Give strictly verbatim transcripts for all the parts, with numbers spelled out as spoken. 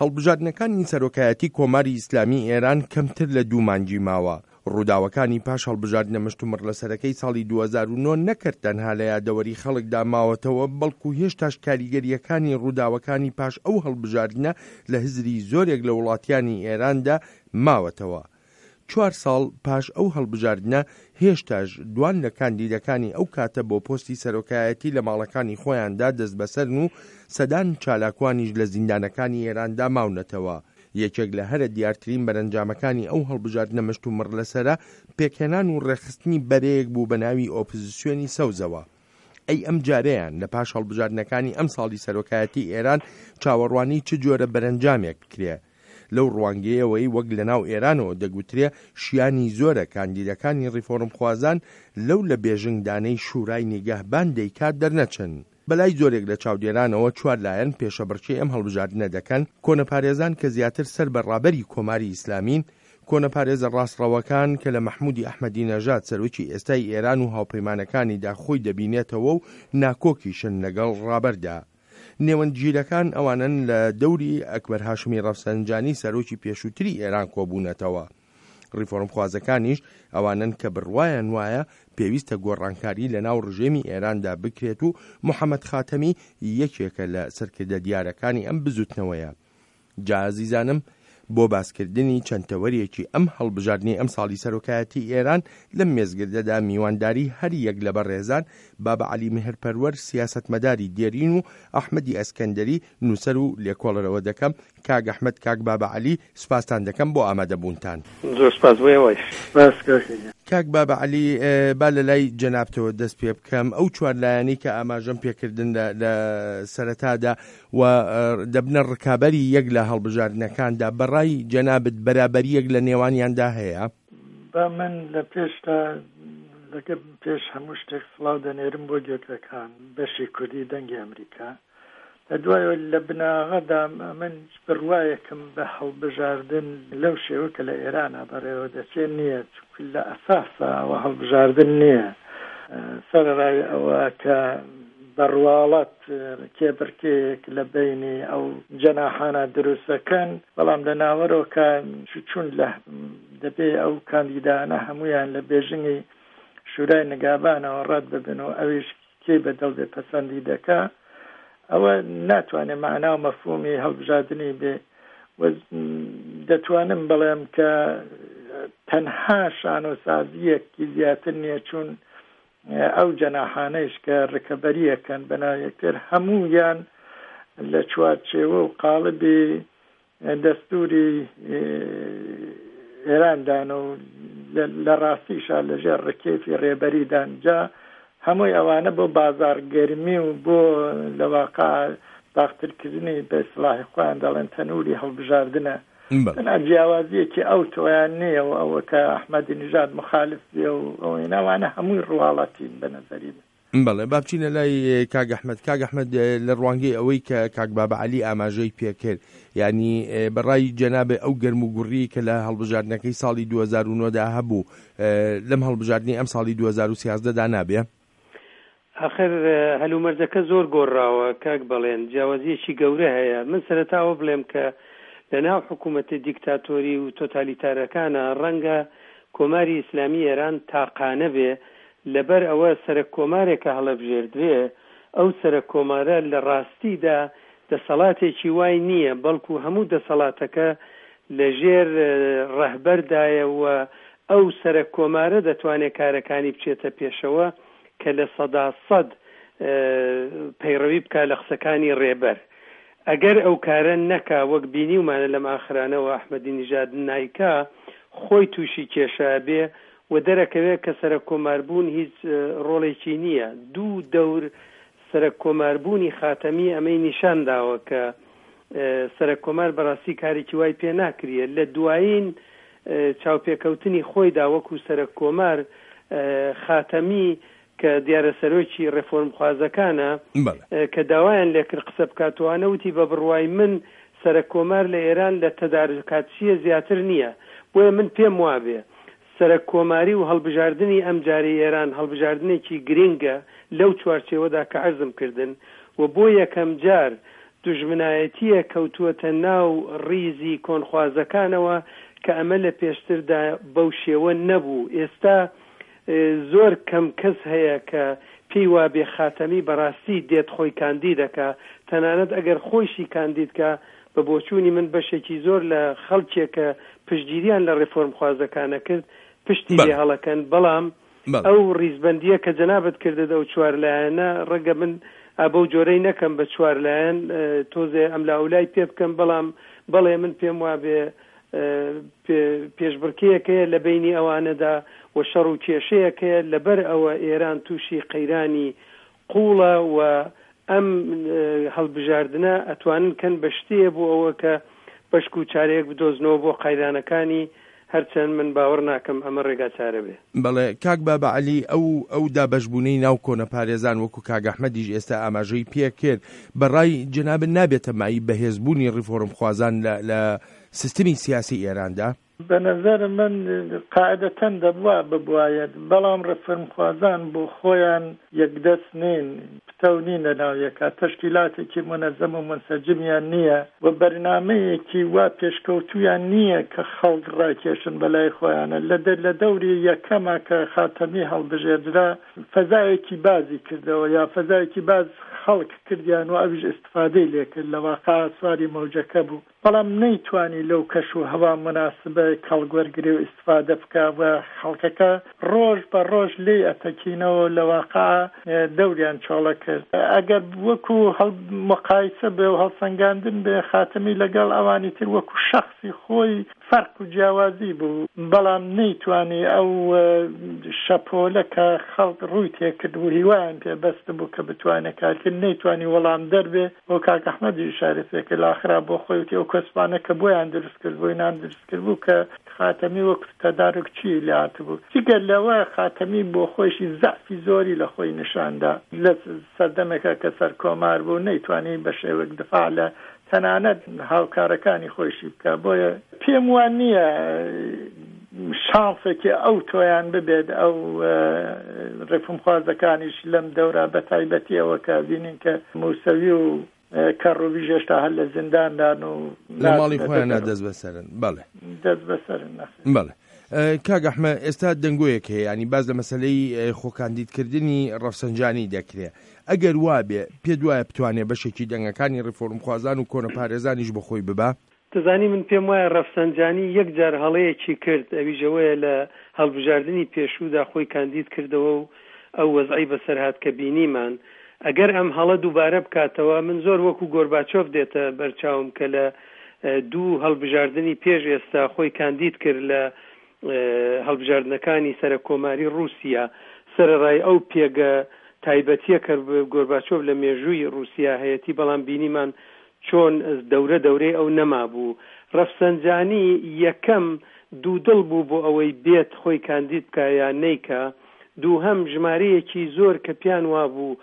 هەڵبژاردنەکانی سەرۆکایەتی کۆماری ئیسلامی ئێران کەمتر لە دوو مانگی ماوە. ڕووداوەکانی پاش هەڵبژاردنە مشتومڕلەسەرەکەی ساڵی دوو هەزار و نۆ نەکرد تەنها لە یادەوەری خەڵکدا ماوەتەوە، بەڵکو هێشتاش کاریگەرییەکانی ڕووداوەکانی پاش ئەو هەڵبژاردنە لە هزری زۆرێک لە وڵاتیانی ئێراندا ماوەتەوە. چوار ساڵ پاش ئەو هەڵبژاردنە هێشتاش دوان لە کاندیدەکانی ئەو کاتە بۆ پۆستی سەرۆکایەتی لە ماڵەکانی خۆیاندا دەستبەسەرن و سەدان چالاکوانیش لە زیندانەکانی ئێراندا ماونەتەوە. یەکێک لە هەرە دیارترین بەرەنجامەکانی ئەو هەڵبژاردنە مشتومڕ لەسەرە پێکهێنان و ڕێکخستنی بەرەیەک بوو بە ناوی ئۆپۆزیسیۆنی سەوزەوە. ئەی ئەم جارەیان لە پاش هەڵبژاردنەکانی ئەم ساڵی سەرۆکایەتی ئێران چاوەڕوانی چ جۆرە بەرەنجامێک بکرێ؟ لەو ڕوانگەیەوەی وەک لەناو ئێرانەوە دەگوترێ شیانی زۆرە کاندیدەکانی ڕیفۆرمخوازان لەو لە بێژنگدانەی شورای نیگەهبان دەیکات دەرنەچن. بەلای زۆرێک لە چاودێرانەوە چوار لایەن پێشەبڕکێی ئەم هەڵبژاردنە دەکەن، کۆنەپارێزان کە زیاتر سەر بە ڕابەری کۆماری ئیسلامین، کۆنەپارێزە ڕاستڕەوەکان کە لە مەحمودی ئەحمەدی نەژاد سەرۆکی ئێستای ئێران و هاوپەیمانەکانیدا خۆی دەبینێتەوە و ناکۆکیشن لەگەڵ ڕابەردا. نێوەندگیرەکان ئەوانەن لە دەوری ئەکبەر هاشمی ڕەفسەنجانی سەرۆکی پێشووتری ئێران کۆبوونەتەوە. ڕیفۆرمخوازەکانیش ئەوانەن کە بڕوایان وایە پێویستە گۆڕانکاری لە ناو ڕژێمی ئێراندا بکرێت و محەممەد خاتەمی یەکێکە لە سەرکردە دیارەکانی ئەم بزوتنەوەیە. جا ئازیزانم بۆ باسکردنی چەند تەوەرێکی ئەم هەڵبژاردنەی ئەمساڵی سەرۆکایەتی ئێران لەم مێزگردەدا میوانداری هەر یەک لە بەڕێزان بابە عەلی مێهرپەروەر سیاسەتمەداری دێرین و ئەحمەدی ئەسکەندەری نووسەر و لێکۆڵەرەوە دەکەم. کاک ئەحمەد، کاک بابە عەلی سوپاستان دەکەم بۆ ئامادەبوونتان. زۆر سپاس بۆ ئێوەش. سپاس کاک گیان. کاک بابە عەلی با لە لای جەنابتەوە دەست پێ بکەم. ئەو چوار لایەنەی کە ئاماژەم پێکردن لە سەرەتادا و دەبنە ڕکابەری یەک لە هەڵبژاردنەکاندا، بەڕای جەنابت بەرابەریەک لە نێوانیاندا هەیە؟ با من لە پێشتا لەگە پێش هەموو شتێک سڵاو دەنێرم بۆ گوێگرەکان بەشی کوردی دەنگی ئەمریکا. لە دوایەوە لە بناغەدا من بڕوایەکم بە هەڵبژاردن لەو شێوە کە لە ئێرانە بەڕێوە دەچێت نییە، چونکە لە ئەساسا ئەوە هەڵبژاردن نییە. سەرەڕای ئەوە کە بەڕواڵەت کێبڕکێیەک لە بینی ئەو جەناحانە دروستەکەن، بەڵام لە ناوەرۆکە چون لە دەبێ ئەو کاندیدانە هەمویان لە بێژنگی شورای نگابانەوە ڕەت ببن و ئەویش کێی بەدڵ بێ پەسەندی دەکا، ئەوە ناتوانێت مەعنا و مەفهومی هەڵبژاردنی بێ. و دەتوانم بڵێم کە تەنها شانۆسازیەکی زیاتر نییە، چون ئەو جەناحانەیش کە ڕکەبەریەکەن بەناو یەکتر هەموویان لە چوارچێوە و قاڵبی دەستوری ئێراندان و لە ڕاستیشا لەژێر ڕکێفی ڕێبەریدان. جا هەمووی ئەوانە بۆ بازارگەرمی و بۆ لەواقع داخترکردنی بە ئیسلاحی خۆیان دەڵێن تەنووری هەڵبژاردنە. تەنها جیاوازیەکی ئەو تۆیان نییە و ئەوە کە ئەحمەدی نژاد مخالف بێ و ئەوەی ئەوانە هەمووی ڕواڵەتین بە نەزەری من. بەڵێ با بچینە لای کاک ئەحمەد. کاک ئەحمەد لە ڕوانگەی ئەوەی کە کاک بابە عەلی ئاماژەی پێکرد، یعنی بەڕای جەنابێ ئەو گەرم و گوڕی کە لە هەڵبژاردنەکەی ساڵی دوو هەزار و نۆ دا هەبوو لەم هەڵبژاردنەی ئەم ساڵی دوو هەزار و سیازدە دا نابێ؟ آخر هەلومەرجەکە زۆر گۆڕاوە کاک بەڵێن، جیاوازیەکی گەورە هەیە. من سەرەتاوە بڵێم کە لەناو حکوومەتە دیکتاتۆری و تۆتالیتارەکانە ڕەنگە کۆماری ئیسلامی ئێران تاقانە بێ، لەبەر ئەوە سەرەک کۆمارێکە هەڵەبژێردرێ، ئەو سەرەک کۆمارە لە ڕاستیدا دەسەڵاتێکی وای نییە، بەڵکو هەموو دەسەڵاتەکە لەژێر ڕەهبەردایە و ئەو سەرەک کۆمارە دەتوانێت کارەکانی بچێتە پێشەوە کە لە سەدا سەد پەیڕەوی بکا لە قسەکانی ڕێبەر. ئەگەر ئەو کارە نەکا وەک بینیومانە لەم ئاخرانەوە ئەحمەدی نژاد نایکا، خۆی تووشی کێشە بێ و دەرەکەوێت کە سەرەک کۆماربوون هیچ ڕۆڵێکی نییە. دوو دەور سەرەک کۆماربوونی خاتەمی ئەمەی نیشان داوە کە سەرەک کۆمار بەڕاستی کارێکی وای پێ ناکرێت. لە دوایین چاوپێکەوتنی خۆیدا وەکو سەرەک کۆمار خاتەمی کە دیارە سەرۆکی ڕێفۆرمخوازەکانە کە داوایان لێکرد قسە بکاتوانە وتی بە بڕوای من سەرەک کۆمار لە ئێران لە تەدارکاتچیە زیاتر نییە، بۆیە من پێم وابێ سەرەک کۆماری و هەڵبژاردنی ئەم جارەی ئێران هەڵبژاردنێکی گرنگە لەو چوارچێوەدا کە عەرزم کردن و بۆ یەکەم جار دوژمنایەتییە کەوتووەتە ناو ڕیزی کۆنخوازەکانەوە کە ئەمە لە پێشتردا بەو شێوە نەبوو. ئێستا زۆر کەم کەس هەیە کە پێی وابێ خاتەمی بەڕاستی دێت خۆی کاندیدەکا، تەنانەت ئەگەر خۆیشی کاندیدکا بە بۆچوونی من بەشێکی زۆر لە خەڵکێک کە پشتگیریان لە ڕێفۆرمخوازەکانە کرد پشتی لێ هەڵەکەن. بەڵام ئەو ڕیزبەندییە کە جەنابت کردت ئەو چوار لایەنە، ڕەنگە من بەو جۆرەی نەکەم بە چوار لایەن، تۆزێ ئەملاولای پێ بکەم، بەڵام بەڵێ من پێم وابێ پێشبڕکێیەکەیە لە بینی ئەوانەدا و شەڕ و کێشەیەکەیە. لەبەر ئەوە ئێران تووشی قەیرانی قوڵە و ئەم هەڵبژاردنە ئەتوانن کەن بە شتەیە بۆ ئەوە کە بەشک و چارەیەک بدۆزنەوە بۆ قەیرانەکانی، هەرچەند من باوەڕ ناکەم ئەمە ڕێگا چارە بێ. بەڵێ کاک بابا عەلی، ئەو ئەو دابەشبوونەی ناو کۆنەپارێزان وەکو کاک ئەحمەدیش ئێستا ئاماژەی پێ کرد، بەڕای جەنابت نابێتە مایەی بەهێزبوونی ڕیفۆرمخوازان لە سیستمی سیاسی ئێراندا؟ بە نظر من قاعدەتەن دەبوا ببوایەت، بەڵام ڕێفۆرمخوازان بۆ خۆیان یەکدەست نین، پتەو نین لە ناو یەکا، تەشکیلاتێکی مونەزەم و مونسەجمیان نییە و بەرنامەیەکی وا پێشکەوتویان نییە کە خەڵک ڕاکێشن بەلای خۆیانە. لە دەوری یەکەمە کە خاتەمی هەڵبژێردرا فەزایەکی بازی کردەوە یا فەزایەکی باز خەڵک کردیان و ئەویش ئیستفادەی لێکرد، لە واقع سواری مەوجەکە بوو، بەڵام نەیتوانی لەو کەش و هەوا مناسبە کەڵک وەرگرێ و ئیستفادە بکە و خەڵکەکە ڕۆژ بە ڕۆژ لێی ئەتەکینەوە، لە واقع دەوریان چۆڵە کرد. ئەگەر وەکو مقایسە بێ و هەڵسەنگاندن بێ، خاتەمی لەگەڵ ئەوانی تر وەکو شەخسی خۆی فەرق و جیاوازی بوو، بەڵام نەیتوانی ئەو شەپۆلە کە خەڵک ڕووی تێکرد و هیوایان پێبەست بوو کە بتوانێت کارکرد، نەیتوانی وەڵام دەربێ. بۆ کاک ئەحمەدی ئشارە پێکرد لە ئاخرا بۆ خۆی وتی ئەو کۆسپانە کە بۆیان دروست کرد بۆی نان دروست کرد بوو کە خاتەمی وەک تەدارکچی لێ هاتبوو. جگە لەوە خاتەمی بۆ خۆیشی زەعفی زۆری لە خۆی نیشاندا لە سەردەمێکە کە سەرکۆمار بوو، نەیتوانی بە شێوەک دفاع لە تەنانەت هاوکارەکانی خۆیشی بکە. بۆیە پێم وان نییە شانسێکی ئەو تۆیان ببێت ئەو ڕێفۆرمخوازەکانیش لەم دەورە، بە تایبەتیەوە کە بینین کە موسەوی و کەڕوبیش هێشتا هەر لە زینداندان و لە ماڵی خۆیانە دەست بەسەرن. بەڵێ دەست بەسەرن. بەڵێ کاک ئەحمەد، ئێستا دەنگۆیەک هەیە، ینی باز لە مەسلەی خۆکاندیدکردنی ڕەفسەنجانی دەکرێ. ئەگەر وابێ پێ دوایە بتوانێ بەشێکی دەنگەکانی ڕیفۆرمخوازان و کۆنەپارێزانیش بەخۆی ببا؟ دەزانی من پێم وایە ڕەفسەنجانی یەک جار هەڵەیەکی کرد، ئەویش ئەوەیە لە هەڵبژاردنی پێشوودا خۆی کاندید کردەوە و ئەو وەزعی بەسەرهات کە بینیمان. ئەگەر ئەم هەڵە دووبارە بکاتەوە، من زۆر وەکو گۆرباچۆف دێتە بەرچاوم کە لە دوو هەڵبژاردنی پێش ئێستا خۆی کاندید کرد لە هەڵبژاردنەکانی سەرەکۆماری ڕووسیا، سەرەڕای ئەو پێگە تایبەتیە کە گۆرباچۆف لە مێژووی ڕووسیا هەیەتی، بەڵام بینیمان چۆن دەورە دەورەی ئەو نەمابوو. ڕەفسەنجانی یەکەم دوودڵ بوو بۆ ئەوەی بێت خۆی کاندید بکە یا نەیکا. دووهەم ژمارەیەکی زۆر کە پیان وابوو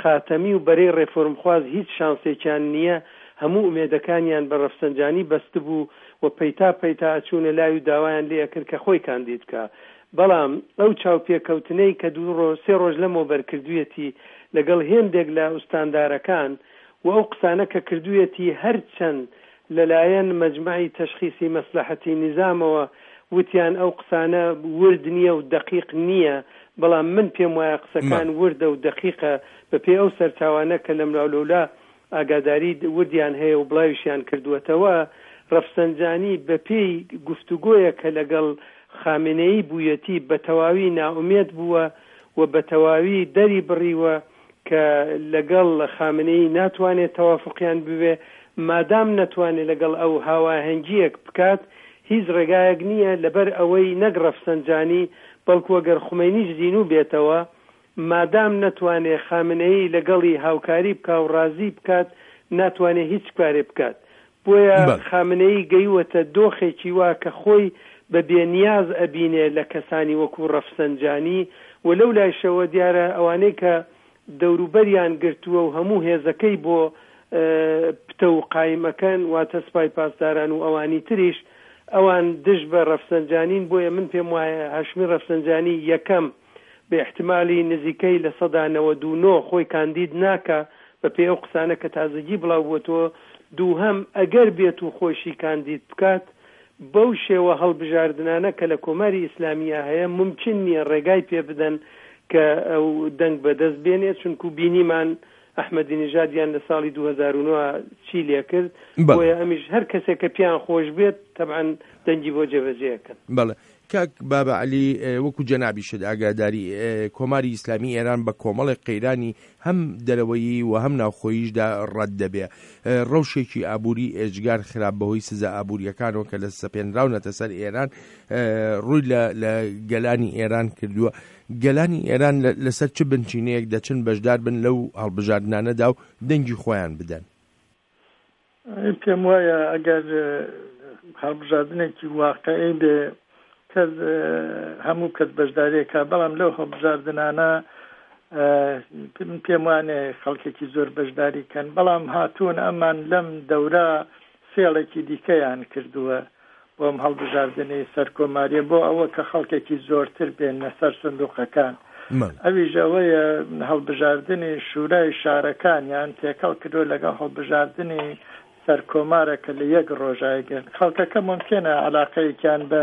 خاتەمی و بەرەی ڕێفۆرمخواز هیچ شانسێکیان نییە، هەموو ئومێدەکانیان بە ڕەفسەنجانی بەستبوو و پەیتا پەیتا ئەچوونە لای و داوایان لێ ئەکرد کە خۆی کاندید بکا. بەڵام ئەو چاوپێکەوتنەی کە دوو ڕۆژ سێ ڕۆژ لەمەوبەر کردوویەتی لەگەڵ هێندێک لە ئوستاندارەکان و ئەو قسانە کە کردوویەتی، هەرچەند لەلایەن مەجمعی تەشخیسی مەسلحەتی نیزامەوە وتیان ئەو قسانە ورد نییە و دەقیق نییە، بەڵام من پێم وایە قسەکان وردە و دەقیقە بەپێی ئەو سەرچاوانە کە لەملاولەولا ئاگاداری وردیان هەیە و بڵاویشیان کردووەتەوە. ڕەفسەنجانی بەپێی گفتوگۆیە کە لەگەڵ خامنەیی بوویەتی بە تەواوی نائومێد بووە و بە تەواوی دەری بڕیوە کە لەگەڵ خامنەیی ناتوانێت تەوافقیان ببێ. مادام نەتوانێت لەگەڵ ئەو هاواهەنگیەک بکات، هیچ ڕێگایەک نییە لەبەر ئەوەی نەک ڕەفسەنجانی بەڵکو ئەگەر خومەینیش زینوو بێتەوە، مادام نەتوانێت خامنەیی لەگەڵی هاوکاری بکا و ڕازی بکات، ناتوانێت هیچ کارێ بکات. بۆیە خامنەیی گەیوەتە دۆخێکی وا کە خۆی بە بێنیاز ئەبینێ لە کەسانی وەکو ڕەفسەنجانی و لەو لایشەوە دیارە ئەوانەی کە دەوروبەریان گرتووە و هەموو هێزەکەی بۆ پتە و قایمەکەن، واتە سپای پاسداران و ئەوانی تریش، ئەوان دژ بە ڕەفسەنجانین. بۆیە من پێم وایە هاشمی ڕەفسەنجانی یەکەم بە احتیمالی نزیکەی لە سەدا نەوەد و نۆ خۆی کاندید ناکا، بەپێی ئەو قسانە کە تازەگی بڵاو بووەتەوە. دووهەم، ئەگەر بێت و خۆشی کاندید بکات، بەو شێوە هەڵبژاردنانە کە لە کۆماری ئیسلامییا هەیە مومکین نییە ڕێگای پێ بدەن کە ئەو دەنگ بەدەست بێنێ، چونکوو بینیمان ئەحمەدی نژادیان لە ساڵی دوو هەزار و نۆ چی لێ کرد. بەڵێ. بۆیە ئەمیش هەر کەسێک کە پێیان خۆش بێت تەبعەن دەنگی بۆ جێبەجێ ئەکەن. بەڵێ کاک بابە عەلی، وەکوو جەنابیشت ئاگاداری، کۆماری ئیسلامی ئێران بە کۆمەڵێک قەیرانی هەم دەرەوەیی و هەم ناوخۆییشدا ڕەت دەبێ. ڕەوشێکی ئابووری ئێجگار خراپ بەهۆی سزا ئابوورییەکانەوە کە لە سەپێنراونەتە سەر ئێران، ڕووی لە لە گەلانی ئێران کردووە. گەلانی ئێران لەسەر چ بنچینەیەک دەچن بەشدار بن لەو هەڵبژاردنانەدا و دەنگی خۆیان بدەن؟ پێم وایە ئەگەر هەڵبژاردنێکی واقعی بێ کەس هەموو کەس بەشداریەکە، بەڵام لەو هەڵبژاردنانە پێم وانێ خەڵکێکی زۆر بەشداری کەن. بەڵام هاتوون ئەمان لەم دەورە فێڵێکی دیکەیان کردووە بۆم هەڵبژاردنی سەرکۆماریە، بۆ ئەوە کە خەڵکێکی زۆرتر بێنە سەر سندوقەکان. ئەویش ئەوەیە هەڵبژاردنی شورای شارەکانیان تێکەڵ کردووە لەگەڵ هەڵبژاردنی سەرکۆمارە کە لە یەک ڕۆژایگرن. خەڵکەکە ممکنە علاقەیەکیان بە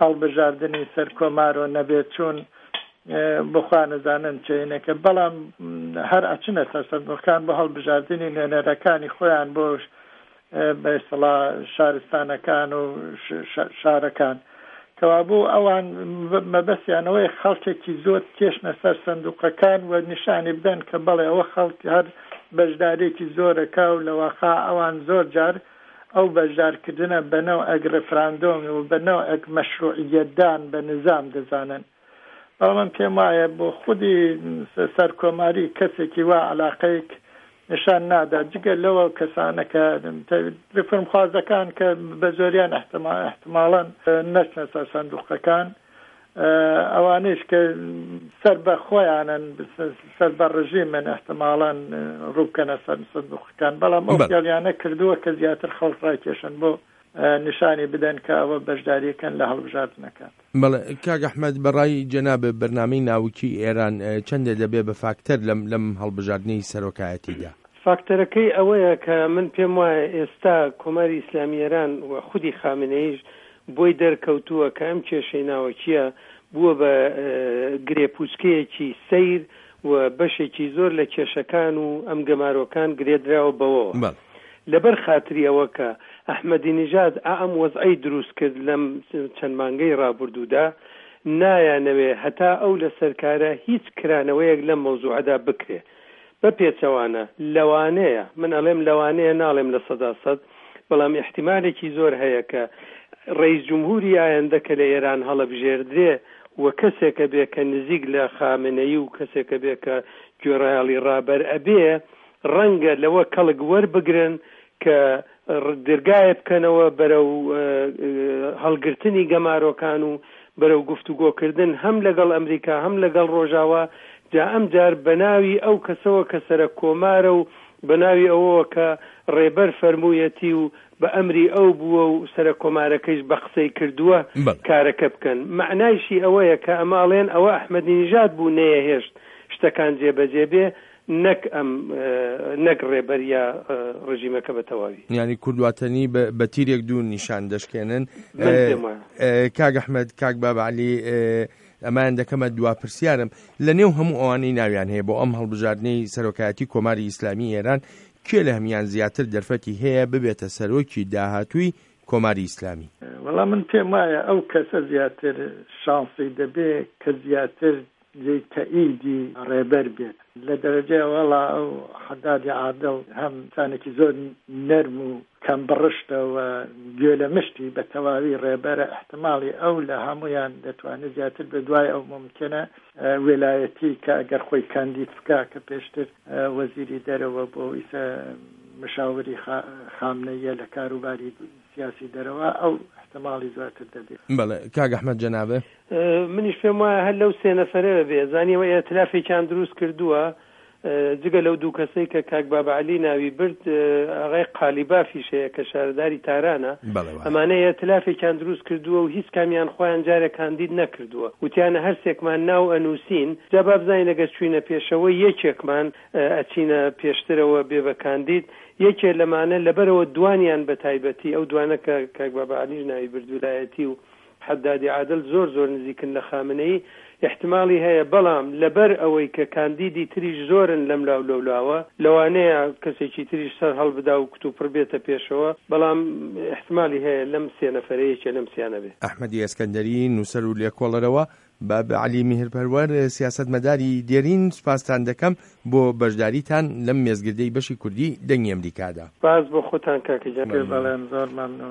هەڵبژاردنی سەرکۆمارۆ نەبێت، چون بخوا نەزانن چێنەکە، بەڵام هەر ئەچنە سەر سندوقەکان بۆ هەڵبژاردنی نوێنەرەکانی خۆیان بۆ بە ئیسڵا شارستانەکان و شارەکان. کەوابوو ئەوان مەبەستیانەوەی خەڵکێکی زۆر کێشنە سەر سندوقەکان و نیشانی بدەن کە بەڵێ ئەوە خەڵک هەر بەشدارێکی زۆرەکە و لەواقع ئەوان زۆر جار ئەو بەشدارکردنە بە نەوعێک ڕێفراندۆم و بە نەوعێک مەشروعیەتدان بە نظام دەزانن. بەڵام من پێم وایە بۆ خودی سەرکۆماری کەسێکی وا علاقەیەک نیشان نادا، جگە لەوە کەسانە کە ڕێفۆرمخوازەکان کە بە زۆریان احتمالاً نەچنە سەر سندوقەکان، ئەوانەیش کە سەر بە خۆیانن، سەر بە ڕژیمن، احتمالاً ڕووبکەنە سەر سندوقەکان. بەڵام ئەو فێڵیانە کردووە کە زیاتر خەڵک ڕاکێشن بۆ نیشانی بدەن کە ئەوە بەشداریەکەن لە هەڵبژاردنەکان. بەڵێ کاک ئەحمەد، بەڕای جەناب بەرنامەی ناوکی ئێران چەندە دەبێ بە فاکتەر لەم لەم هەڵبژاردنەی سەرۆکایەتیدا؟ فاکتەرەکەی ئەوەیە کە من پێم وایە ئێستا کۆماری ئیسلامی ئێران و خودی خامنەییش بۆی دەرکەوتووە کە ئەم کێشەی ناوەکیە بووە بە گرێپوچکەیەکی سەیر و بەشێکی زۆر لە کێشەکان و ئەم گەمارۆکان گرێدراوە بەوەوە. لەبەر خاتری ئەوە کە ئەحمەدی نژاد ئەم وەزعەی دروست کرد لەم چەند مانگەی ڕابردوودا، نایانەوێ هەتا ئەو لە سەرکارە هیچ کرانەوەیەک لەم مەوزوعەدا بکرێ. بە پێچەوانە لەوانەیە، من ئەڵێم لەوانەیە، ناڵێم لە سەدا سەد، بەڵام احتیمالێکی زۆر هەیە کە ڕئیس جمهوری ئایندە کە لە ئێران هەڵەبژێردرێ و کەسێکە بێ کە نزیک لە خامنەیی و کەسێکە بێ کە گوێڕایەڵی ڕابەر ئەبێ، ڕەنگە لەوە کەڵک وەربگرن کە دەرگایە بکەنەوە بەرەو هەڵگرتنی گەمارۆکان و بەرەو گفتوگۆکردن هەم لەگەڵ ئەمریکا هەم لەگەڵ ڕۆژاوا. جا ئەم جار بەناوی ئەو کەسەوە کە سەرە کۆمارە و بەناوی ئەوەوە کە ڕێبەر فەرموویەتی و بە ئەمری ئەو بووە و سەرە کۆمارەکەیش بە قسەی کردووە کارەکە بکەن. مەعنایشی ئەوەیە کە ئەمە ئەڵێن ئەوە ئەحمەدی نژاد بوو نەیەهێشت شتەکان جێبەجێ بێ، نەک ئەم نەک ڕێبەر یا ڕژیمەکە بە تەواوی. یعنی کوردواتەنی بە تیرێک دوو نیشان دەشکێنن. کاک ئەحمەد، کاک بابە عەلی، ئەمان دەکەمە دوا پرسیارم. لە نێو هەموو ئەوانەی ناویان هەیە بۆ ئەم هەڵبژاردنەی سەرۆکایەتی کۆماری ئیسلامی ئێران، کێ لە هەمیان زیاتر دەرفەتی هەیە ببێتە سەرۆکی داهاتووی کۆماری ئیسلامی؟ وەڵا من پێم وایە ئەو کەسە زیاتر شانسی دەبێ کە زیاتر جێی تەئیدی ڕێبەر بێت. لە دەرەجەی وەڵا ئەو حەدادی عادڵ هەم ئینسانێکی زۆر نەرم و کەم بڕشتە و گوێ لە مشتی بە تەواوی ڕێبەرە، احتماڵی ئەو لە هەمویان دەتوانێت زیاتر بە دوای ئەو ممکنە ویلایەتی کە ئەگەر خۆی کاندید بکا کە پێشتر وەزیری دەرەوە بۆ ئیسە مشاوری خامنەیە لە کاروباری سیاسی دەرەوە، ئەو احتماڵی زیاتر دەبێت. بەڵێ کاک ئەحمەد جەنابێ، منیش پێم وایە هەر لەو سێ نەفەرە بێ زانیەوە ئیتلافێکیان دروست کردووە، جگە لەو دوو کەسەی کە کاک بابە عەلی ناوی برد، ئاغای قالیبافیش هەیە کە شارەداری تارانە. ئەمانە ئیئتلافێکیان دروست کردووە و هیچ کامیان خۆیان جارێ کاندید نەکردووە. وتیانە هەرسێکمان ناو ئەنووسین، جا با بزانین ئەگەر چووینە پێشەوە یەکێکمان ئەچینە پێشترەوە بێ بە کاندید، یەکێ لەمانە لەبەرئەوە دوانیان بە تایبەتی ئەو دوانە کە کاک بابە عەلیش ناوی برد ولایەتی و حەدادی عادل زۆر زۆر نزیکن لە خامنەیی ئیحتماڵی هەیە بەڵام لەبەر ئەوەی کە کاندیدی تریش زۆرن لەم لاو لەو لاوە لەوانەیە کەسێکی تریش سەر هەڵبدا و کتوپڕ بێتە پێشەوە بەڵام ئیحتمالی هەیە لەم سێ نەفەرە یەکێ لەم سیانە بێ. ئەحمەدی ئەسکەندەری، نووسەر و لێکۆڵەرەوە، باب عەلی میهرپەروەر، سیاسەتمەداری دێرین، سوپاستان دەکەم بۆ بەشداریتان لەم مێزگردەی بەشی کوردی دەنگی ئەمریکادا. سوپاس بۆ خۆتان کاکە گیان. بەڵێن زۆر مەمنوون.